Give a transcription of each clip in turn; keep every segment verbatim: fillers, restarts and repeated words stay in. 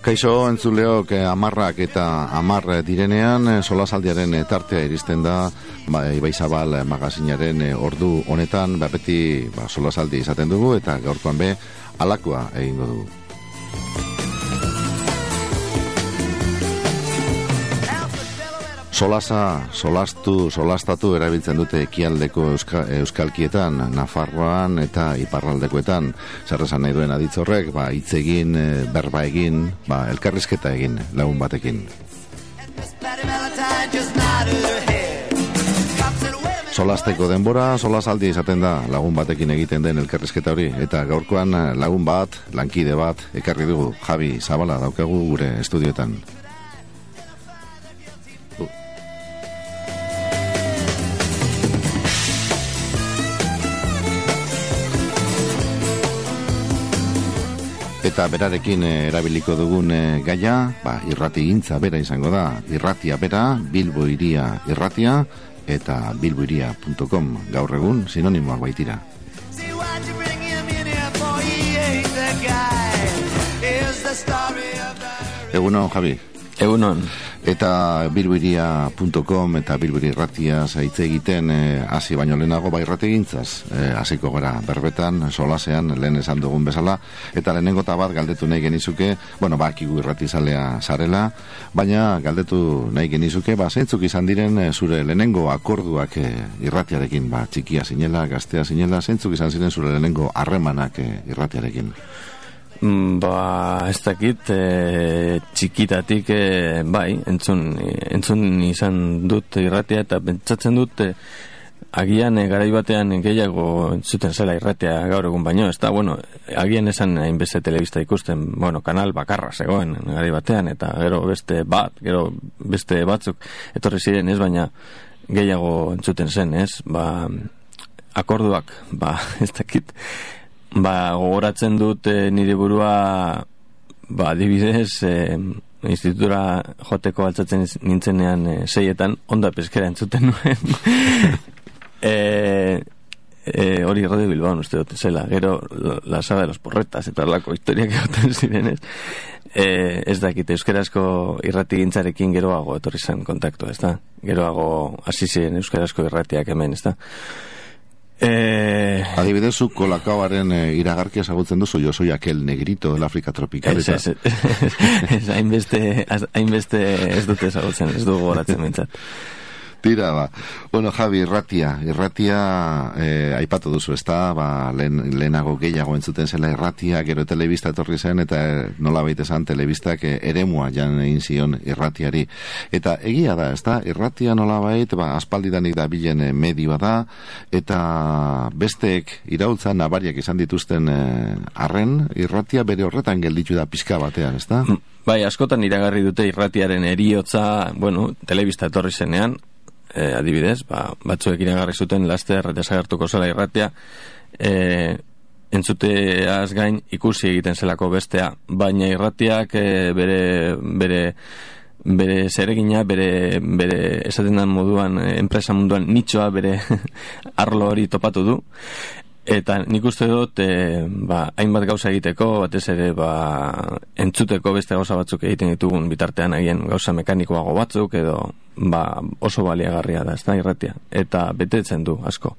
Kaixo entzuleok amarrak eta amar direnean solasaldiaren tartea iristen da ba, Ibaizabal magazinaren ordu honetan ba, beti ba, solasaldi izaten dugu eta gaurkoan be alakoa egingo dugu. Solasa, solastu, solastatu erabiltzen dute ekialdeko euska, euskalkietan, Nafarroan eta iparraldekoetan. Zer esan nahi duen aditz horrek, ba, hitz egin, berba egin, ba, elkarrizketa egin, lagun batekin. Solasteko denbora, solasaldi izaten da lagun batekin egiten den elkarrizketa hori. Eta gaurkoan lagun bat, lankide bat, ekarri dugu, Javi Zabala daukagu gure estudioetan. Eta berarekin erabiliko dugun gaia, ba, irrati gintza bera izango da. Irratia bera, Bilbo Hiria irratia eta bilbohiria puntu com gaur egun sinonimoak baitira. Egunon, Javi. Egunon. Eta bilbohiria puntu com eta Bilbori irratia hitz egiten hasi eh, baino lehenago bai irratigintzaz eh, hasiko gara berbetan solasean lehen esan dugun bezala eta lehenengota bat galdetu nahi genizuke, bueno, bakigu irratizalea zarela, baina galdetu nahi genizuke, ba zeintzuk izan diren eh, zure lehenengo akorduak eh, irratiarekin, ba txikia zinela, gaztea zinela, zeintzuk izan ziren zure lehenengo harremanak eh, irratiarekin? Ba, ez dakit e, txikitatik e, bai, entzun, entzun izan dut irratia eta pentsatzen dut e, agian e, garai batean gehiago entzuten zela irratia gaur egun baino, ez da, bueno, agian esan hainbeste telebista ikusten, bueno, kanal bakarra zegoen garai batean eta gero beste bat, gero beste batzuk etorri ziren, ez, baina gehiago entzuten zen, ez, ba, akorduak, ba, ez dakit, ba, gogoratzen dut e, nire burua ba, adibidez e, institutura joteko altzatzen nintzenean e, seietan onda peskera entzuten nuen e, e, hori Radio Bilbao uste dut zela, gero la saga de los porretas eta lako historiak egoten zirenez e, ez dakit euskarazko irrati gintzarekin geroago etorri zen kontaktu, ez da, geroago hasi ziren euskarazko irratiak hemen, ez da. Eh, Adibidezu kolakauaren eh, iragarkia ezagutzen duzu, yo soy aquel negrito del África tropical. Ez, ez, ez, hainbeste, hainbeste ez dute ezagutzen, ez dugu goratzen mintzat. Tira, ba. Bueno, Javi, irratia. Irratia eh, aipatu duzu, ez da, ba, lehen, lehenago gehiago entzuten zela irratia, gero telebista etorri zen, eta nola baita esan telebistak eh, eremua jan egin zion irratiari. Eta egia da, ez da, irratia nola baita, ba, aspaldidanik da bilen eh, medioa da, eta besteek iraultza nabariak izan dituzten arren, eh, irratia bere horretan gelditu da pizka batean, ez da? Bai, askotan iragarri dute irratiaren eriotza, bueno, telebista etorri zenean, E, adibidez, ba, batzuek iragarri zuten laster desagertuko zela irratia e, entzuteaz gain ikusi egiten zelako bestea, baina irratiak e, bere bere bere zeregina, bere, bere esaten den moduan, e, enpresa munduan nitxoa bere arlo hori topatu du eta nik uste dut e, ba, hainbat gauza egiteko, batez ere ba, entzuteko beste gauza batzuk egiten ditugun bitartean agien gauza mekanikoago batzuk edo ba, oso baliagarria da, ez da, irratia, eta betetzen du asko.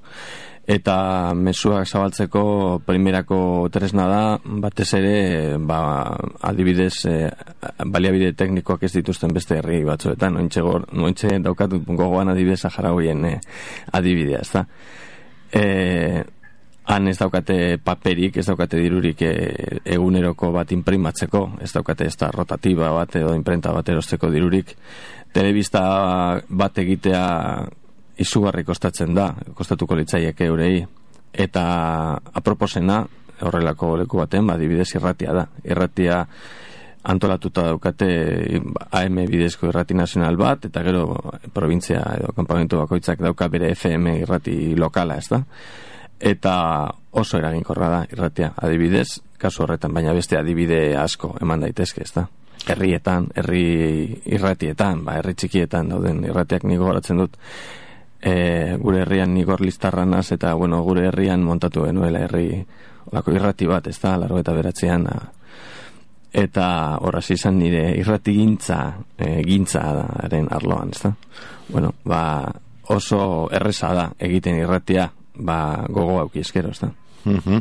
Eta mezuak zabaltzeko primerako tresna da, batez ere ba, adibidez e, baliabide teknikoak ez dituzten beste herri batzuetan, nointxe, gor, nointxe daukat gogoan adibidez Saharaoien e, adibidea, ez da. E, Han ez daukate paperik, ez daukate dirurik e, eguneroko bat imprimatzeko, ez daukate ez da rotatiba bat edo imprenta bat erosteko dirurik. Telebista bat egitea izugarri kostatzen da, kostatuko litzaieke eurei. Eta aproposena, horrelako leku baten, adibidez irratia da. Irratia antolatuta daukate A M bidezko irrati nazional bat, eta gero provintzia edo kanpamentu bakoitzak dauka bere F M irrati lokala, ez da? Eta oso eraginkorra da irratia, adibidez, kasu horretan, baina beste adibide asko eman daitezke, ez da? Herrietan, herri irratietan, ba, herri txikietan dauden irratiak nigo goratzen dut, e, gure herrian nigor listarranaz, eta, bueno, gure herrian montatu genuela herri olako irrati bat, ez da, largo eta beratzean, eta horraz izan nire irrati gintza, e, gintzaren arloan, ezta? Bueno, ba, oso erreza da egiten irratia, ba, gogo auki eskero, ezta? Uh-huh.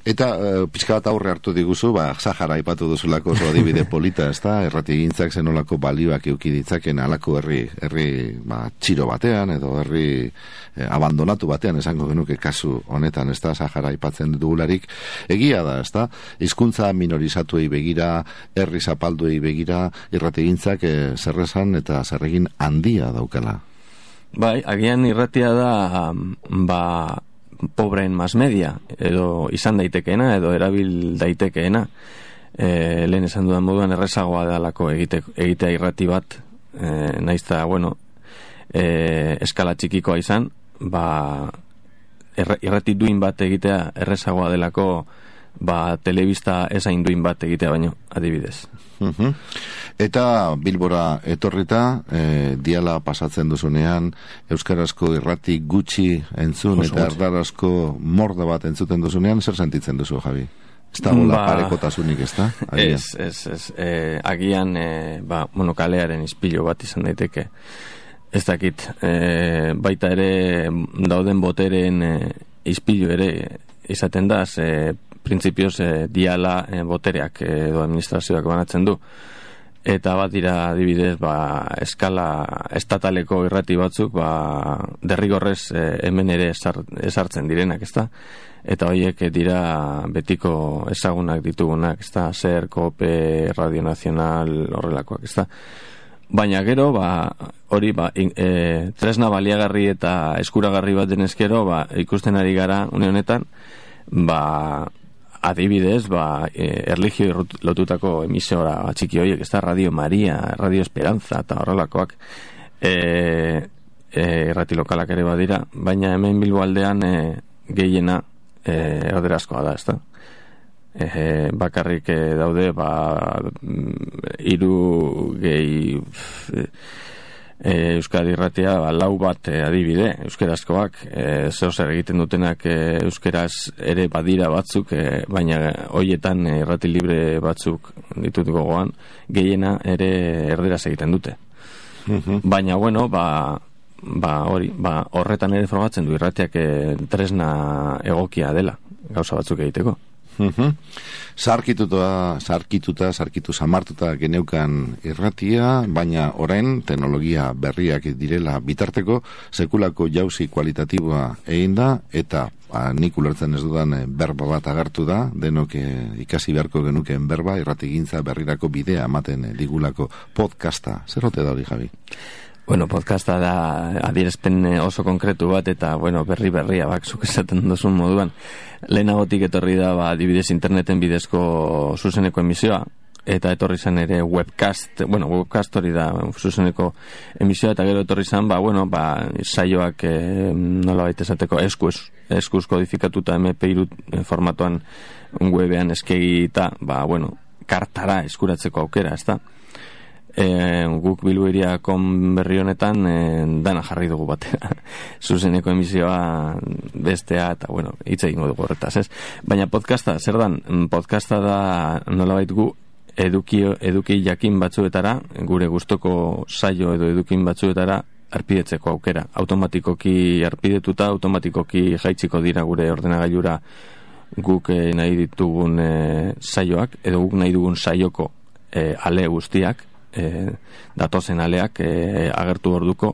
Eta uh, pixka bat aurre hartu diguzu, ba, Sahara aipatu duzulako oso adibide polita, ez da? Errati gintzak zenolako balioak euki ditzaken alako herri, herri ba, txiro batean, edo herri eh, abandonatu batean, esango genuke kasu honetan, ez da? Sahara aipatzen dugularik, egia da, ez da? Hizkuntza minorizatuei begira, herri zapalduei begira, irrati gintzak eh, zerrezan eta zerregin handia daukala. Bai, agian irratia da, ba, pobreen mass media, edo izan daitekeena, edo erabil daitekeena. E, lehen esan dudan moduan errezagoa dalako egite, egitea irrati bat, e, naizta, bueno, e, eskala txikikoa izan, ba, erra, irrati duin bat egitea errezagoa delako, ba, telebista ezain duin bat egitea baino, adibidez. Uh-huh. Eta Bilbora etorrita, e, diala pasatzen duzunean, euskarazko irrati gutxi entzun, Oso eta erdarazko morda bat entzuten duzunean, zer sentitzen duzu, Javi? Ez da gola ba, parekotasunik, ez da? Ez, ez, ez. E, agian, e, ba, bueno, kalearen izpilo bat izan daiteke. Ez dakit, e, baita ere dauden boteren e, izpilo ere izaten da, ze printzipioz e, diala e, botereak edo administrazioak banatzen du. Eta bat dira adibidez, ba, eskala estataleko irrati batzuk, ba, derrigorrez e, hemen ere esartzen direnak, ezta? Eta horiek dira betiko ezagunak ditugunak, ezta? Ser, Kope, Radio Nacional, horrelakoak, ezta? Baina gero, ba, hori, ba, e, tresna baliagarri eta eskuragarri bat denezkero, ba, ikusten ari gara, une honetan, ba, adibidez, ba, e, erlijio lotutako emisora txiki horiek, ez da Radio Maria, Radio Esperanza eta horrelakoak e, e, errati lokalak ere badira, baina hemen Bilbo aldean e, gehiena e, erderazkoa da, ez da? E, bakarrik e, daude, ba, hiru gehi e, Euskadi irratia, ba, lau bat e, adibide, euskerazkoak, e, zeo zer egiten dutenak e, euskeraz ere badira batzuk, e, baina hoietan e, irrati libre batzuk ditut gogoan, gehiena ere erderaz egiten dute. Uh-huh. Baina, bueno, ba, ba, hori, ba, horretan ere frogatzen du irratiak e, tresna egokia dela, gauza batzuk egiteko. Uh-huh. Sarkituta, sarkituta, sarkitu samartuta geneukan irratia, baina orain teknologia berriak direla bitarteko, sekulako jauzi kualitatiboa egin da, eta ba, nik ulertzen ez dudan berba bat agertu da, denok ikasi beharko genuken berba, irratigintza berrirako bidea ematen digulako podcasta. Zer ote da hori, Javi? Bueno, podcasta da adierazpen oso konkretu bat, eta, bueno, berri berria, bak, zuk esaten duzun moduan. Lehenagotik etorri da, ba, adibidez interneten bidezko zuzeneko emisioa, eta etorri zen ere webcast, bueno, webcast hori da zuzeneko emisioa, eta gero etorri zen, ba, bueno, ba, saioak e, nola baita esateko eskuz, eskuz kodifikatuta eme pe hiru formatuan webean eskegita, ba, bueno, kartara eskuratzeko aukera, ez da? E, guk bilbuiriakon berri honetan e, dana jarri dugu batera zuzeneko emisioa bestea eta bueno, hitz egingo dugu horretaz, ez? Baina podcasta, zer dan? Podcasta da nolabait gu eduki, eduki jakin batzuetara, gure gustoko saio edo edukin batzuetara arpidetzeko aukera. Automatikoki arpidetuta, automatikoki jaitziko dira gure ordenagailura guk e, nahi ditugun e, saioak, edo guk nahi dugun saioko e, ale guztiak, E, datozen aleak e, agertu orduko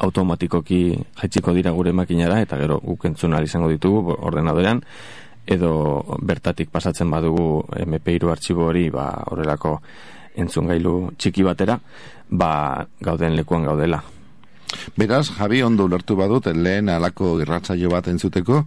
automatikoki jaitziko dira gure makinara, eta gero guk entzun ahal izango ditugu ordenadorean, edo bertatik pasatzen badugu eme pe hiru artxibo hori, ba, horrelako entzungailu txiki batera, ba, gauden lekuan gaudela. Beraz, Javi, ondo ulertu badut, lehen alako irratsaio bat entzuteko,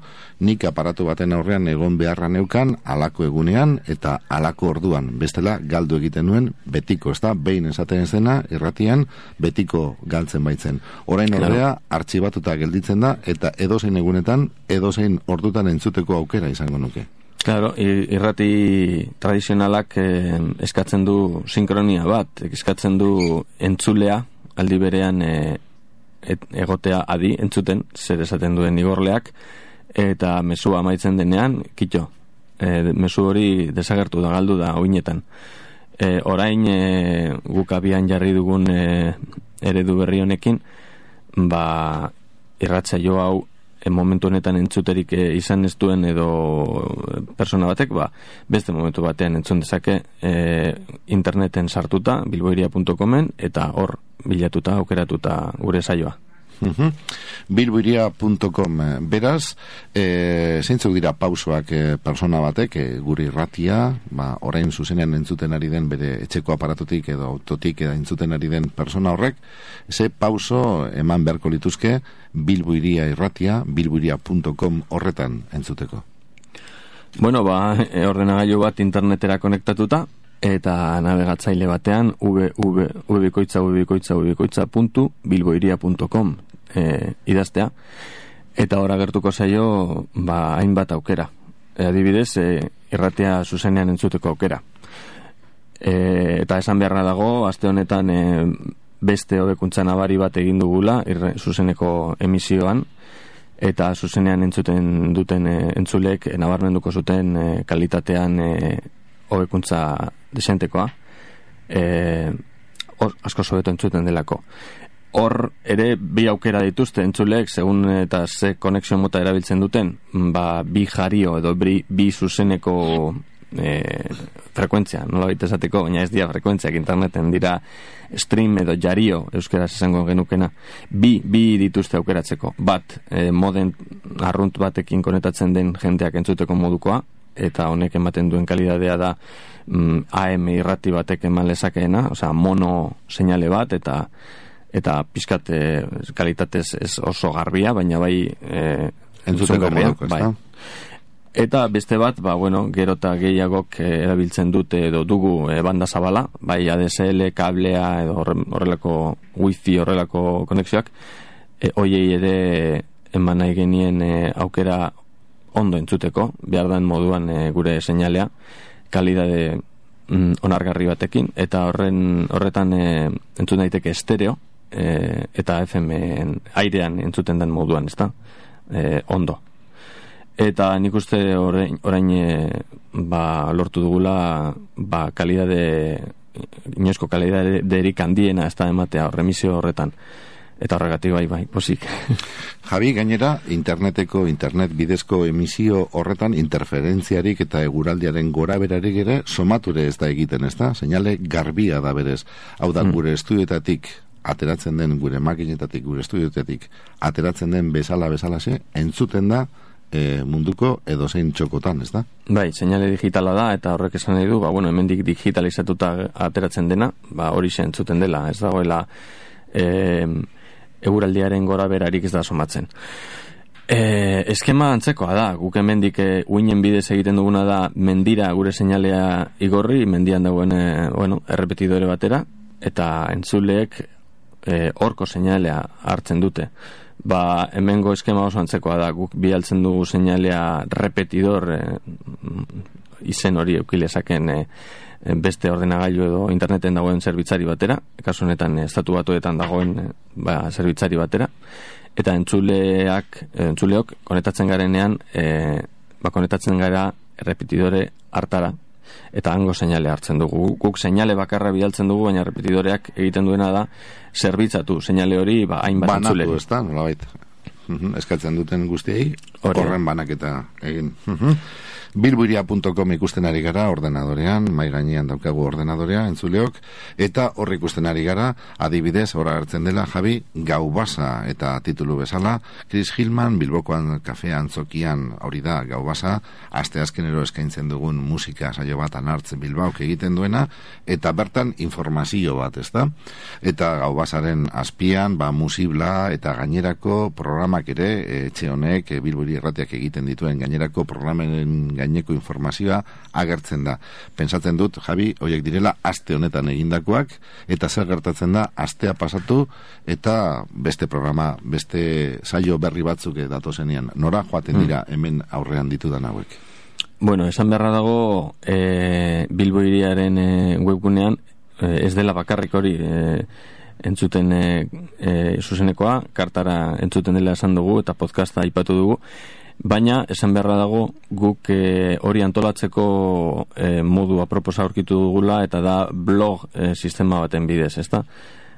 nik aparatu baten aurrean egon beharra neukan alako egunean eta alako orduan. Bestela, galdu egiten nuen betiko, ez da? Behin esaten zena, irratian, betiko galtzen baitzen. Orain ordea, artxibatuta gelditzen da, eta edozein egunetan, edozein ordutan entzuteko aukera izango nuke. Claro, irrati tradizionalak eh, eskatzen du sinkronia bat, eskatzen du entzulea, aldi berean eh, Et, egotea adi entzuten zer esaten duen igorleak, eta mezua amaitzen denean kitxo, e, mezu hori desagertu da, galdu da oinetan, E, orain e, guk abian jarri dugun e, eredu berri honekin, ba, irratsaio hau e, momentu honetan entzuterik e, izan ez duen edo persona batek, ba, beste momentu batean entzun dezake e, interneten sartuta, bilboiria punto comen, eta hor bilatuta, aukeratuta gure saioa. Uh-huh. bilboiria punto com beraz, e, zeintzuk dira pausoak e, persona batek e, gure irratia, ba, orain zuzenean entzuten ari den bere etxeko aparatutik edo autotik edo entzuten ari den persona horrek, ze pauso eman beharko lituzke Bilboiria irratia, bilboiria punto com horretan entzuteko. Bueno, ba, e, ordenagailu bat internetera konektatuta eta navegatzaile batean www.ubikoitza ubikoitza ubikoitza puntu bilboiria punto com e, idaztea, eta hor agertuko zaio ba, hainbat aukera. E, adibidez, e, irratea zuzenean entzuteko aukera. E, eta esan beharra dago, aste honetan e, beste hobekuntza nabari bat egin dugula irre, zuzeneko emisioan, eta zuzenean entzuten duten e, entzulek e, nabarmenduko zuten e, kalitatean e, hobekuntza desentekoa, e, or, asko sobeto entzuten delako. Hor ere bi aukera dituzte entzulek, segun eta ze konexio mota erabiltzen duten, ba, bi jario edo bi, bi zuzeneko e, frekuentzia, nola baita esateko, baina ez dira frekuentziak, interneten dira stream edo jario, euskeraz esango genukena, bi, bi dituzte aukeratzeko. Bat, e, moden arrunt batekin konetatzen den jendeak entzuteko modukoa, eta honek ematen duen kalidadea da mm, A M irrati batek eman lezakeena, osea mono seinale bat, eta eta pizkat e, kalitatez ez oso garbia, baina bai e, entzuteko moduko, bai. Eta beste bat, ba, bueno, gero eta gehiagok e, erabiltzen dute edo dugu e, banda zabala, bai A D S L, kablea edo horrelako wifi horrelako konexioak, e, hoiei ere eman nahi genien e, aukera ondo entzuteko, behar den moduan e, gure seinalea, kalidade mm, onargarri batekin, eta horren horretan e, entzun daiteke estereo, e, eta F M airean entzuten den moduan, ezta? E, ondo. Eta nik uste orain, orain e, ba, lortu dugula ba, kalidade, inoizko kalidade derik handiena ez da ematea remisio horretan. Eta horregatik bai, bai, posik. Javi, gainera, interneteko, internet bidezko emisio horretan interferentziarik eta eguraldiaren gora berarik ere somature ez da egiten, ez da? Seinale garbia da berez. Hau da, mm. gure estudioetatik ateratzen den, gure makinetatik, gure estudioetatik ateratzen den bezala bezalase, entzuten da e, munduko edozein txokotan, ez da? Bai, seinale digitala da, eta horrek esan nahi du, ba, bueno, hemendik digitalizatuta ateratzen dena, ba, hori entzuten dela, ez dagoela e, eguraldiaren gora berarik ez da somatzen. E, eskema antzekoa da, guk hemendik e, uinen bidez egiten duguna da mendira gure seinalea igorri, mendian dagoen e, bueno, errepetidore batera, eta entzuleek e, orko seinalea hartzen dute. Ba, hemengo eskema oso antzekoa da, guk bialtzen dugu seinalea repetidor e, izen hori eukilezaken e, beste ordenagailu edo interneten dagoen zerbitzari batera, kasu honetan estatu batuetan dagoen ba, zerbitzari batera, eta entzuleak, entzuleok konetatzen garenean, e, ba, konetatzen gara repetidore hartara, eta hango seinale hartzen dugu. Guk seinale bakarra bidaltzen dugu, baina repetidoreak egiten duena da zerbitzatu seinale hori ba, hainbat entzuleri. Banatu, ez da, nolabait. Eskatzen duten guztiei, horren banaketa egin. bilboiria punto com ikusten ari gara ordenadorean, mai gainean daukagu ordenadorea, entzuleok, eta horri ikusten ari gara, adibidez, ora hartzen dela, Javi, Gau Basa, eta titulu bezala, Chris Hillman, Bilbokoan kafea antzokian, hori da, Gau Basa, aste azkenero eskaintzen dugun musika saio bat anartzen Bilbaok egiten duena, eta bertan informazio bat, ez da? Eta Gau Basaren azpian, ba, musibla, eta gainerako programak ere, etxe honek, Bilboiria irratiak egiten dituen gainerako programen gaineko informazioa agertzen da. Pentsatzen dut, Javi, horiek direla aste honetan egindakoak, eta zer gertatzen da astea pasatu eta beste programa, beste saio berri batzuk datozenean. Nora joaten dira hemen aurrean ditudan hauek? Bueno, esan beharra dago e, Bilboiriaren e, webgunean e, ez dela bakarrik hori e, entzuten e, e, zuzenekoa, kartara entzuten dela esan dugu eta podcasta aipatu dugu, baina esan beharra dago guk e, hori antolatzeko e, modu aproposa aurkitu dugula, eta da blog e, sistema baten bidez, ezta?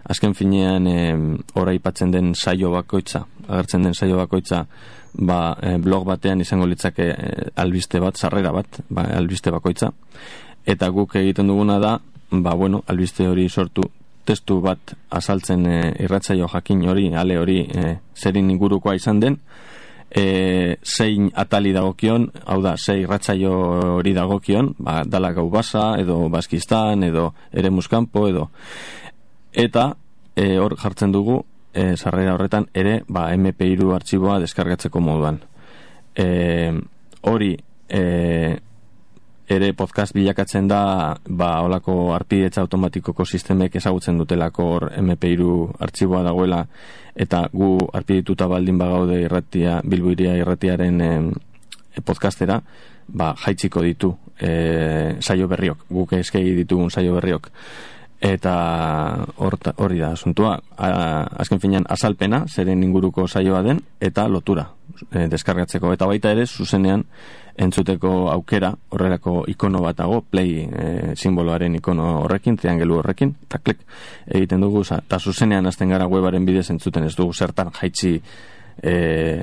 Azken finean e, ora aipatzen den saio bakoitza, agertzen den saio bakoitza, ba, e, blog batean izango litzake e, albiste bat, sarrera bat, ba, albiste bakoitza, eta guk egiten duguna da, ba, bueno, albiste hori sortu, testu bat azaltzen e, irratsaio jakin hori, ale hori, e, zerin ingurukoa izan den, E, zein atali dagokion, hau da, zei irratsaio hori dagokion, ba, dala Gau Basa, edo Baskistan, edo Eremuskampo, edo eta e, hor jartzen dugu e, sarrera horretan ere, ba, eme pe hiru artxiboa deskargatzeko moduan. E, hori e, ere podcast bilakatzen da, ba, holako arpidetza automatikoko sistemek ezagutzen dutelako hor eme pe hiru artxiboa dagoela, eta gu arpidituta baldin bagaude irratia, Bilbo Hiria irratiaren e, podcastera, ba, jaitziko ditu e, saio berriok, guk eskegi ditugun saio berriok. Eta hori da asuntua, azken finean azalpena, zeren inguruko saioa den, eta lotura e, deskargatzeko, eta baita ere zuzenean entzuteko aukera, horrelako ikono bat dago, play e, simboloaren ikono horrekin, triangelu horrekin, eta klik egiten dugu, eta zuzenean hasten gara webaren bidez entzuten, ez dugu zertan jaitsi e,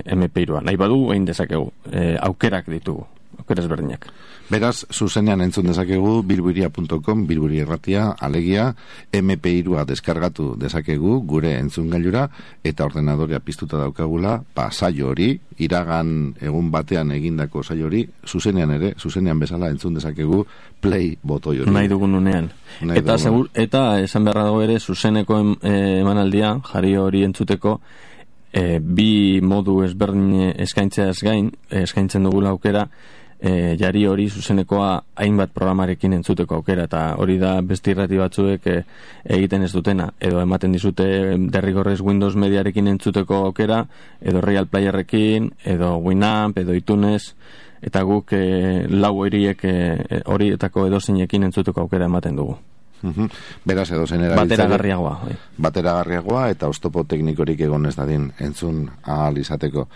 eme pe hirua. Nahi badu, egin dezakegu, e, aukerak ditugu, aukeraz berdinak. Beraz, zuzenean entzun dezakegu bilbohiria puntu com, Bilbori Irratia, alegia, eme pe hirua deskargatu dezakegu gure entzungailura, eta ordenadorea piztuta daukagula, pa saio hori, iragan egun batean egindako saio hori, zuzenean ere, zuzenean bezala entzun dezakegu play botoi hori. Nahi dugun unean. Nahi eta, dugun. Segur, eta esan beharra dago ere, zuzeneko em, eh, emanaldia, jari hori entzuteko, eh, bi modu ezberdin eskaintzeaz gain, eskaintzen dugula aukera, E, jari hori zuzenekoa hainbat programarekin entzuteko aukera, eta hori da beste irrati batzuek e, egiten ez dutena, edo ematen dizute derrigorrez Windows Mediarekin entzuteko aukera, edo Real Playerrekin, edo Winamp, edo iTunes, eta guk e, lau horiek e, horietako edozeinekin entzuteko aukera ematen dugu. Uhum. Beraz edo zenera bateragarriagoa bai. bateragarriagoa eta oztopo teknikorik egon ez dadin entzun ahal izateko.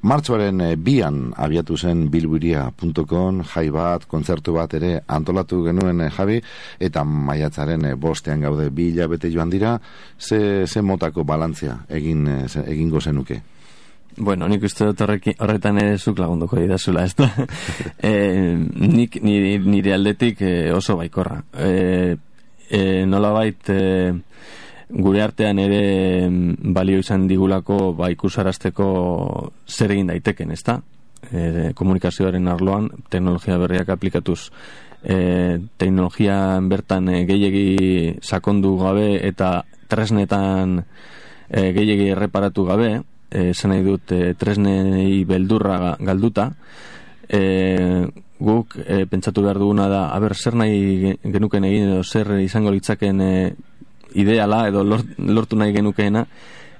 Martxoaren e, bian abiatu zen bilbohiria puntu com jai bat, kontzertu bat ere antolatu genuen e, Javi, eta maiatzaren e, bostean gaude bi hilabete joan dira, ze, ze motako balantzia egin, e, ze, egingo zenuke? Bueno, nik uste dut horretan ere zuk lagunduko didazula, ez da? e, nik nire, nire aldetik e, oso baikorra. E, e, nolabait e, gure artean ere balio izan digulako ba, ikusarazteko zer egin daiteken, ez da? E, komunikazioaren arloan teknologia berriak aplikatuz. E, teknologian bertan e, gehiegi sakondu gabe eta tresnetan e, gehiegi erreparatu gabe, esan nahi dut e, tresnei beldurra galduta, e, guk e, pentsatu behar duguna da, aber, zer nahi genuken egin edo zer izango litzaken e, ideala edo lort, lortu nahi genukeena,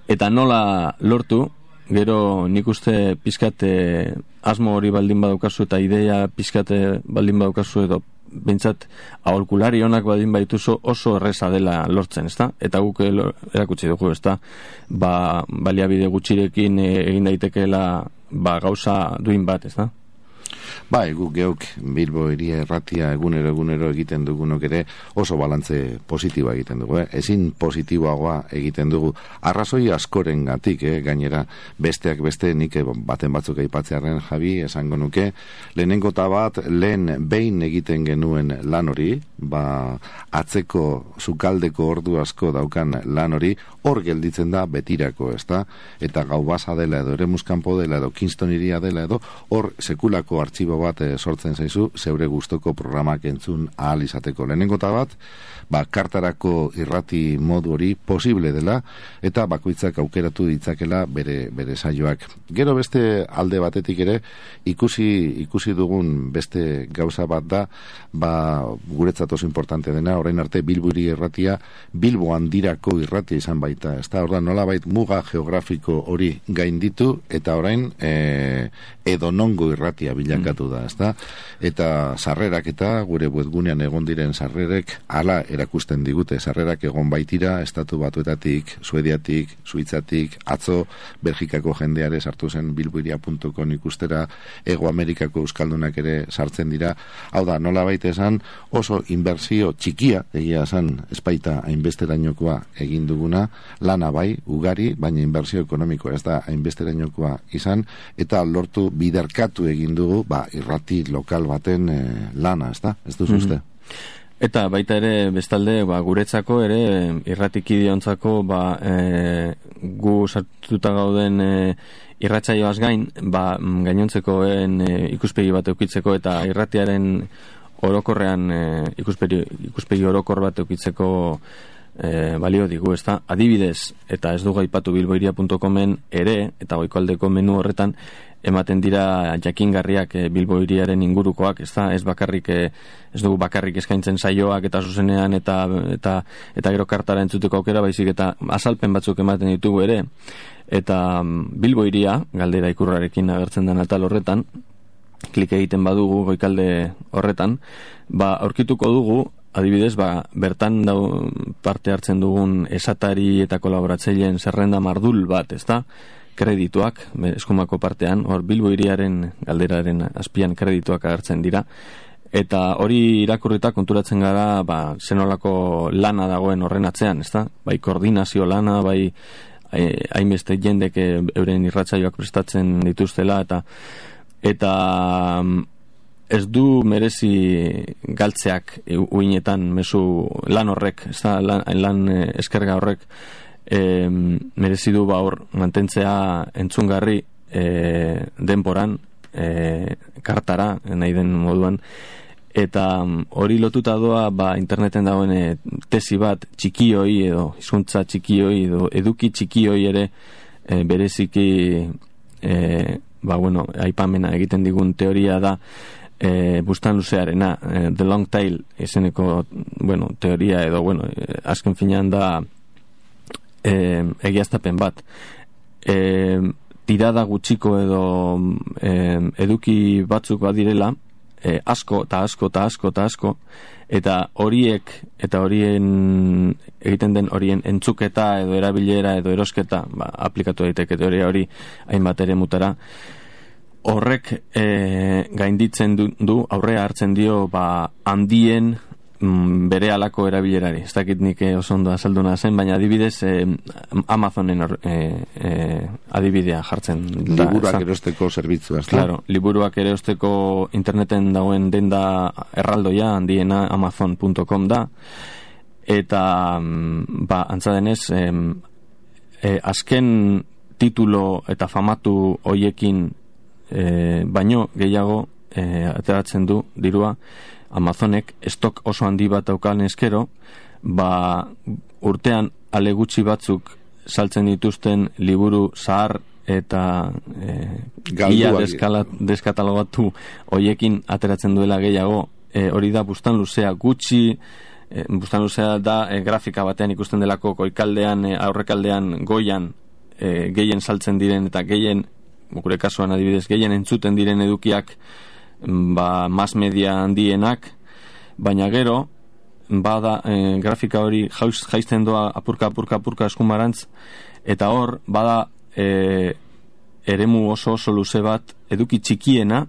eta nola lortu, gero nik uste pizkat e, asmo hori baldin badaukazu eta idea pizkat baldin badaukazu edo bentsat aholkulari onak badin baituzu oso erreza dela lortzen, ezta? Eta guk erakutsi dugu, ezta? Ba, baliabide gutxirekin egin daitekeela ba, gauza duin bat, ezta? Bai, guk geuk Bilbo Hiria Irratia egunero egunero egiten dugunok ere oso balantze positiboa egiten dugu, eh? Ezin positiboagoa egiten dugu arrazoi askorengatik, eh? Gainera besteak beste nik baten batzuk aipatzearren Javi esango nuke, lehenengo ta bat lehen behin egiten genuen lan hori, ba atzeko sukaldeko ordu asko daukan lan hori hor gelditzen da betirako, ezta? Eta Gau Basa dela edo Eremuskampo dela edo Kingston Hiria dela edo hor sekulako artxibo bat e, sortzen zaizu zeure gustoko programak entzun ahal izateko. Lehenengo ta bat, ba, kartarako irrati modu hori posible dela eta bakoitzak aukeratu ditzakela bere, bere saioak. Gero beste alde batetik ere ikusi, ikusi dugun beste gauza bat da, ba, guretzat oso importante dena, orain arte Bilbo Hiria Irratia Bilbo handirako irratia izan baita, ezta? Orduan nolabait muga geografiko hori gainditu eta orain e, edonongo irratia bilakatu bilakatu da, ezta? Eta sarrerak eta gure webgunean egon diren sarrerek hala erakusten digute, sarrerak egon baitira Estatu Batuetatik, Suediatik, Suitzatik, atzo Belgikako jendeare sartu zen bilboiria puntu com ikustera, Ego Amerikako euskaldunak ere sartzen dira. Hau da, nola baita esan, oso inbertsio txikia, egia esan, espaita hainbesterainokoa egin duguna, lana bai, ugari, baina inbertsio ekonomiko ez da hainbesterainokoa izan, eta lortu biderkatu egin dugu, ba, irrati lokal baten e, lana, ez da? Ez duzu uste? Eta baita ere, bestalde, ba, guretzako ere, irratikidiontzako, ba, e, gu sartuta gauden e, irratsaioaz gain, ba, gainontzekoen e, ikuspegi bat eukitzeko eta irratiaren orokorrean e, ikuspegi, ikuspegi orokor bat eukitzeko e, balio digu, ezta? Adibidez, eta ez dugu aipatu bilboiria puntu comen ere, eta goikoaldeko menu horretan, ematen dira jakingarriak e, bilboiriaren ingurukoak, ezta? Ez bakarrik, e, ez dugu bakarrik eskaintzen saioak eta zuzenean eta eta eta gero kartara entzuteko aukera, baizik eta azalpen batzuk ematen ditugu ere. Eta bilboiria, galdera ikurrarekin agertzen den atal horretan, klik egiten badugu goikalde horretan, ba, aurkituko dugu, adibidez, ba, bertan dau parte hartzen dugun esatari eta kolaboratzaileen zerrenda mardul bat, ezta? Kredituak, eskumako partean, hor bilboiriaren galderaren azpian kredituak agertzen dira, eta hori irakurrita konturatzen gara, ba, zenolako lana dagoen horren atzean, ezta? Bai koordinazio lana, bai hainbeste jendek euren irratsaioak prestatzen dituztela, eta eta ez du merezi galtzeak uinetan mezu lan horrek, ez da, lan, lan eskerga horrek e, merezi du ba hor mantentzea entzungarri e, denboran, e, kartara, nahi den moduan, eta hori lotuta doa ba, interneten dagoen e, tesi bat txikioi edo hizkuntza txikioi edo eduki txikioi ere e, bereziki e, ba, bueno, aipamena egiten digun teoria da e, bustan luzearena, e, the long tail izeneko, bueno, teoria edo, bueno, e, azken finean da e, egiaztapen bat. E, tirada gutxiko edo e, eduki batzuk badirela, e, asko eta asko eta asko eta asko, eta horiek, eta horien egiten den horien entzuketa edo erabilera edo erosketa, ba, aplikatu daiteke teoria hori hainbat ere mutara, horrek e, gainditzen du, du, aurrea hartzen dio ba, handien mm, bere alako erabilerari. Ez dakit nik oso ondo azalduna zen, baina adibidez e, Amazonen e, e, adibidea jartzen. Liburuak erosteko zerbitzua. Claro, liburuak erosteko interneten dagoen denda erraldoia handiena amazon puntu com da, eta ba, antza denez e, e, azken titulo eta famatu hoiekin E, baino gehiago e, ateratzen du dirua Amazonek estok oso handi bat daukan eskero, ba, urtean ale gutxi batzuk saltzen dituzten liburu zahar eta e, ia deskatalogatu hoiekin ateratzen duela gehiago. E, hori da bustan luzea gutxi, e, bustan luzea da e, grafika batean ikusten delako goikaldean, e, aurrekaldean goian e, gehien saltzen diren eta gehien, gure kasuan adibidez, gehien entzuten diren edukiak ba, mass media handienak, baina gero bada e, grafika hori jaisten doa apurka, apurka, apurka eskumarantz, eta hor bada e, eremu oso oso luze bat eduki txikiena,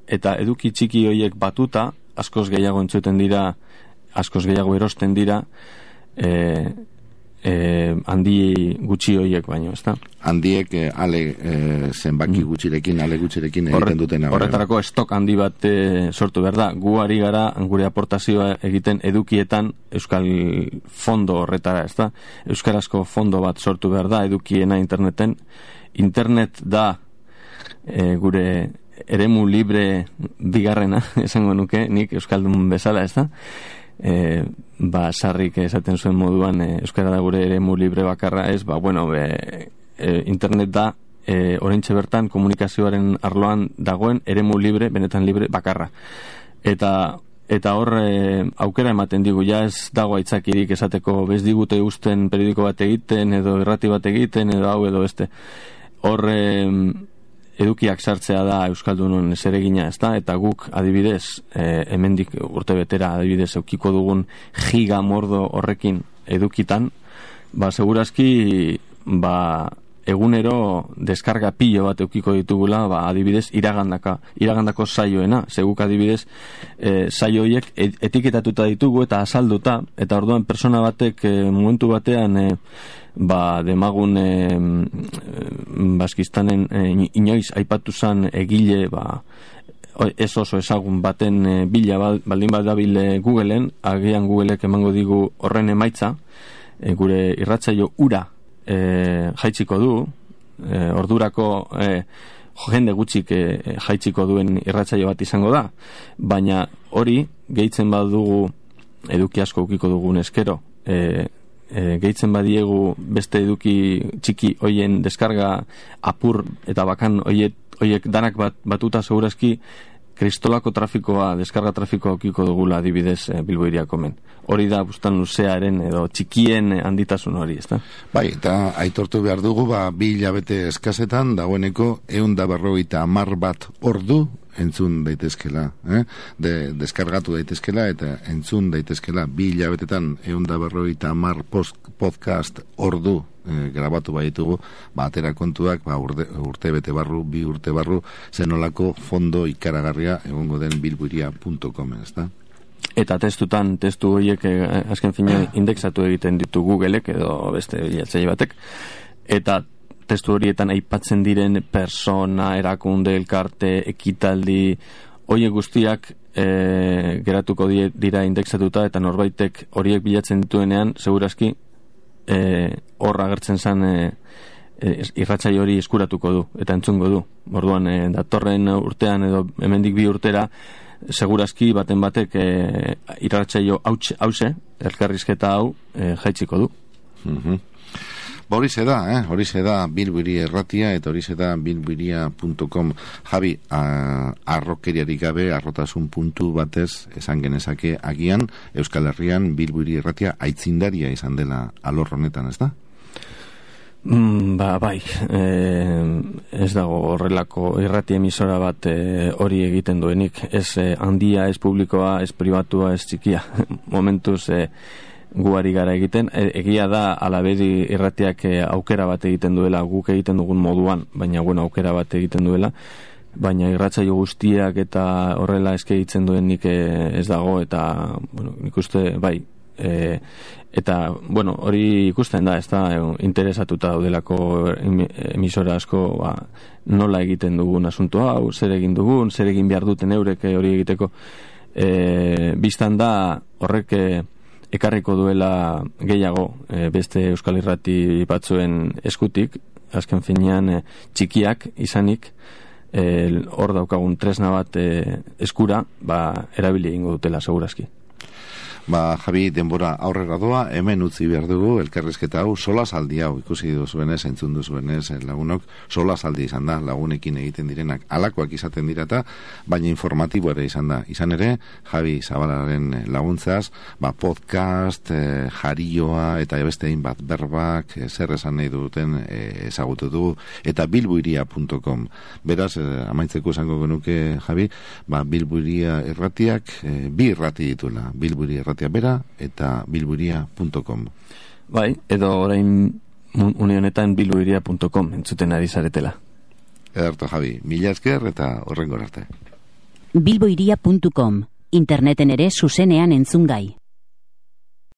eta eduki txiki horiek batuta askoz gehiago entzuten dira, askoz gehiago erosten dira e, e, handi gutxi horiek baino, ezta? Handiek eh, ale eh, zenbaki gutxirekin, ale gutxirekin egiten dutena. Horretarako estok handi bat eh, sortu behar da. Gu ari gara gure aportazioa egiten edukietan euskal fondo horretara, ezta? Euskarazko fondo bat sortu behar da edukiena interneten. Internet da eh, gure eremu libre bigarrena, esango nuke, nik euskaldun bezala, ezta? E, ba, sarrik esaten zuen moduan e, euskara da gure eremu libre bakarra, ez, ba, bueno, e, e, internet da e, oraintxe bertan komunikazioaren arloan dagoen eremu libre, benetan libre bakarra, eta eta hor e, aukera ematen digu, ja ez dago aitzakirik esateko bez digute usten periodiko bat egiten edo irrati bat egiten edo hau edo beste, hor e, edukiak sartzea da Euskaldunon zeregina, ezta? Eta guk adibidez, e, hemendik urte betera adibidez eukiko dugun giga mordo horrekin edukitan, ba segurazki ba egunero deskarga pilo bat eukiko ditugula, ba adibidez iragandaka, iragandako saioena, seguk adibidez e, saio horiek etiketatuta ditugu eta azalduta, eta orduan persona batek e, momentu batean e, ba demagun e, Baskistanen e, inoiz aipatu zan egile ba ez oso ezagun baten e, bila baldin bat dabil e, Googleen, agian Googleek emango digu horren emaitza, e, gure irratsaio ura e, jaitziko du, e, ordurako e, jende gutxik e, jaitziko duen irratsaio bat izango da, baina hori gehitzen badugu eduki asko ukiko dugun eskero, e, e, gehitzen badiegu beste eduki txiki hoien deskarga apur eta bakan hoiek, hoiek danak bat, batuta segurazki kristolako trafikoa, deskarga trafikoa ukiko dugula adibidez e, Bilbo Hiriako men. Hori da bustan luzearen edo txikien handitasun hori, ezta? Bai, eta aitortu behar dugu, ba, bi hilabete eskasetan, dagoeneko ehun eta berrogeita hamar bat ordu entzun daitezkela, eh? De, deskargatu daitezkela eta entzun daitezkela bi hilabetetan ehun eta berrogeita hamar podcast ordu eh, grabatu baitugu, ba, atera kontuak, ba, urte, urte bete barru, bi urte barru, zenolako fondo ikaragarria egongo den bilbuiria puntu com, ezta? Eta testutan, testu horiek eh, azken fina indexatu egiten ditu Googleek edo beste bilatzaile batek, eta testu horietan aipatzen diren persona, erakunde, elkarte, ekitaldi, horiek guztiak e, geratuko die, dira indexatuta, eta norbaitek horiek bilatzen dituenean, segurazki e, hor agertzen zen e, e, irratsaio hori eskuratuko du, eta entzungo du. Orduan, e, datorren urtean edo hemendik bi urtera, segurazki baten batek e, irratsaio hause, elkarrizketa hau e, jaitziko du. Mhm. Ba, horixe da, eh? horixe da Bilbuiri Erratia eta horixe da bilbuiria puntu com. Javi, a, arrokeriarik gabe, arrotasun puntu batez esan genezake agian Euskal Herrian Bilbuiri Erratia aitzindaria izan dela alor honetan, ez da? Mm, ba, bai, e, ez dago horrelako irrati emisora bat e, hori egiten duenik, ez e, handia, ez publikoa, ez pribatua, ez txikia. Momentuz, e, guari gara egiten, e, egia da alabedi irratiak e, aukera bat egiten duela, guk egiten dugun moduan, baina bueno, aukera bat egiten duela, baina irratsaio guztiak eta horrela eske egiten duenik e, ez dago, eta bueno, nik uste, bai, e, eta bueno, hori ikusten da, ez da, interesatuta daudelako emisora asko, ba, nola egiten dugun asunto hau, zer egin dugun, zer egin behar duten eurek hori egiteko, e, biztan da horrek ekarriko duela gehiago e, beste Euskal Irrati batzuen eskutik, azken finean e, txikiak izanik, hor e, daukagun tresna bat e, eskura, ba, erabili egingo dutela segurazki. Ba, Javi, denbora aurrera doa, hemen utzi behar dugu, elkarrizketa hau, sola saldi hau, ikusi duzuenez, entzun duzuenez, lagunok, sola saldi izan da, lagunekin egiten direnak, alakoak izaten dirata, baina informatibo ere izan da. Izan ere, Javi Zabalaren laguntzaz, ba, podcast, eh, jarioa, eta beste bat berbak, eh, zer esan nahi duten eh, ezagutu du, eta bilbuiria puntu com. Beraz, eh, amaitzeko esango genuke, Javi, ba, Bilbuiria Erratiak, eh, bi irrati dituela, Bilbuiria Erratia bera eta bilbuiria puntu com. Bai, edo orain une honetan bilbuiria puntu com entzuten ari zaretela. Ederto, Javi, mila esker eta horrengo arte. bilbuiria puntu com, interneten ere zuzenean entzungai.